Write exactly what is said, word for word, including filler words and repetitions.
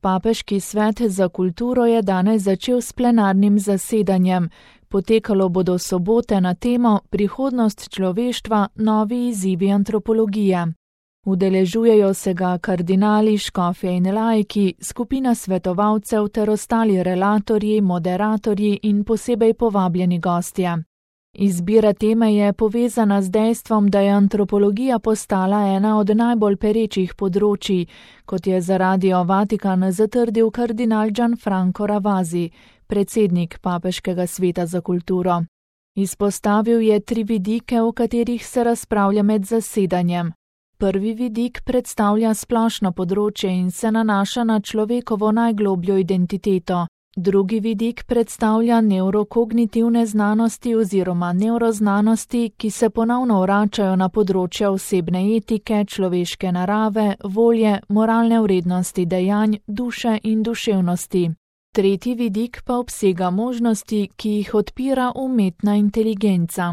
Papeški svet za kulturo je danes začel s plenarnim zasedanjem. Potekalo bodo sobote na temo Prihodnost človeštva, novi izzivi antropologije. Udeležujejo se ga kardinali, škofje in laiki, skupina svetovalcev ter ostali relatorji, moderatorji in posebej povabljeni gostje. Izbira teme je povezana z dejstvom, da je antropologija postala ena od najbolj perečih področij, kot je za Radio Vatikan zatrdil kardinal Gianfranco Ravasi, predsednik Papeškega sveta za kulturo. Izpostavil je tri vidike, o katerih se razpravlja med zasedanjem. Prvi vidik predstavlja splošno področje in se nanaša na človekovo najglobljo identiteto. Drugi vidik predstavlja neurokognitivne znanosti oziroma neuroznanosti, ki se ponovno vračajo na področja osebne etike, človeške narave, volje, moralne vrednosti dejanj, duše in duševnosti. Tretji vidik pa obsega možnosti, ki jih odpira umetna inteligenca.